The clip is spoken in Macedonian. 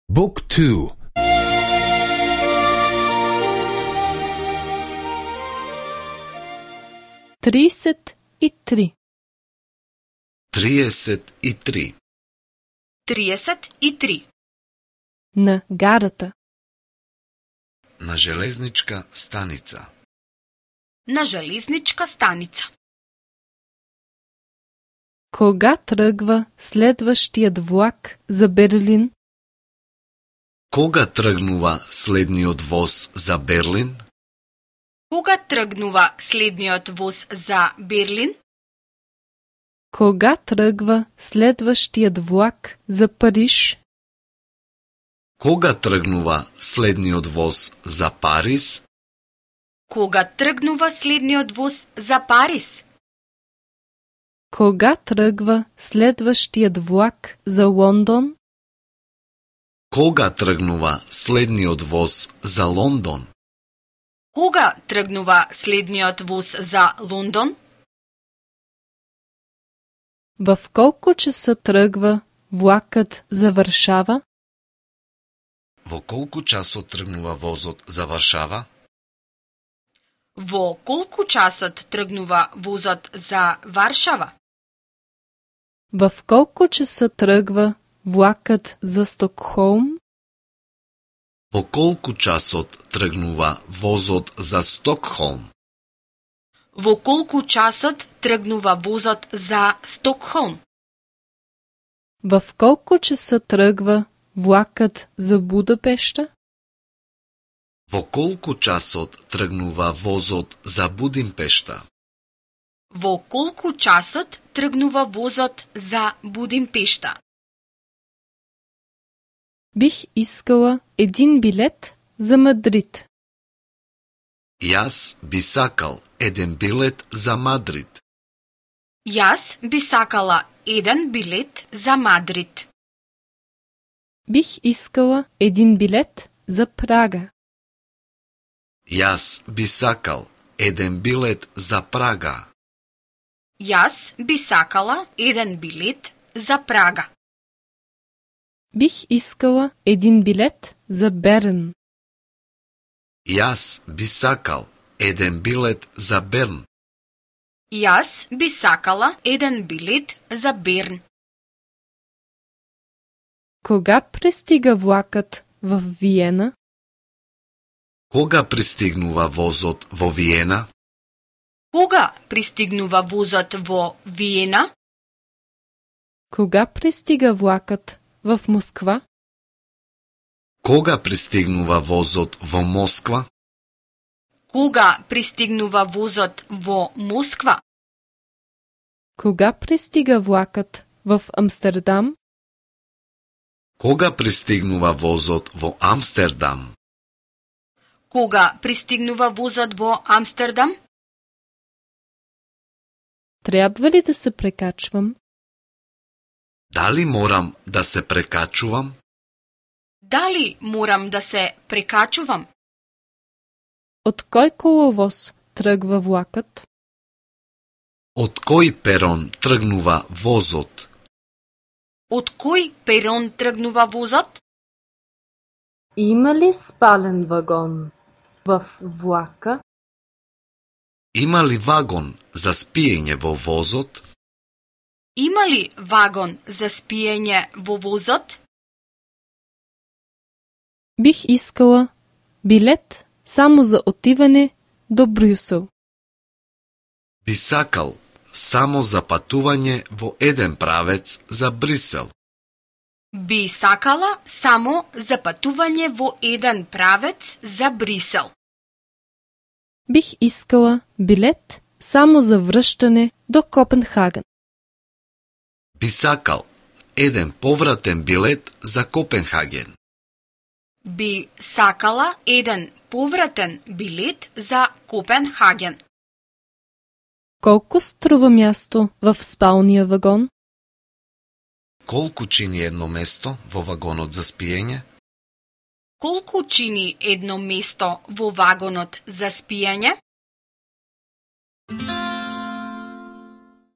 Book 2. 33. 33. 33. На гарата. На железничка станица. На железничка станица. Кога тръгва следващият влак за Берлин? Кога тргнува следниот воз за Берлин? Кога тргнува следниот воз за Берлин? Кога тръгва следващият влак за Париж? Кога тргнува следниот воз за Париз? Кога тргнува следниот воз за Париз? Кога тръгва следващият влак за Лондон? Кога тргнува следниот воз за Лондон? Кога тргнува следниот воз за Лондон? В колко часа тръгва влакът за Варшава? Во колку часот тргнува возот за Варшава? Во колку часот тргнува возот за Варшава? В колко часа тръгва влакът за Стокхолм? Во колку часот тргнува возот за Стокхолм? Во колку часот тргнува возот за Стокхолм? В колко часа тръгва влакът за Будапешта? Во колку часот тргнува возот за Будимпешта? Во колку часот тргнува возот за Будимпешта? Бих искала един билет за Мадрид. Јас би сакал еден билет за Мадрид. Јас би сакала еден билет за Мадрид. Бих искала един билет за Прага. Јас би сакал еден билет за Прага. Јас би сакала еден билет за Прага. Бих искала един билет за Берн. Јас би сакал еден билет за Берн. Јас би сакала еден билет за Берн. Кога пристига влакът в Виена? Кога пристигнува возот во Виена? Кога пристигнува возот во Виена? Кога пристига влакът в Москва? Кога пристигнува возот во Москва? Кога пристигнува возот во Москва? Кога пристига влакът в Амстердам? Кога пристигнува возот во Амстердам? Кога пристигнува возот во Амстердам? Трябва ли да се прекачвам? Дали морам да се прекачувам? Дали морам да се прекачувам? От кой коловоз тръгва влакът? Од кој перон тргнува возот? Од кој перон тргнува возот? Има ли спален вагон в влака? Има ли вагон за спиење во возот? Има ли вагон за спиење во возот? Бих искала билет само за отиване до Брюсел. Би сакал само за патување во еден правец за Брисел. Би сакала само за патување во еден правец за Брисел. Бих искала билет само за връщане до Копенхаген. Би сакал еден повратен билет за Копенхаген. Би сакала еден повратен билет за Копенхаген. Колко струва място в спалния вагон? Колку чини едно место во вагонот за спиење? Колку чини едно место во вагонот за спиење?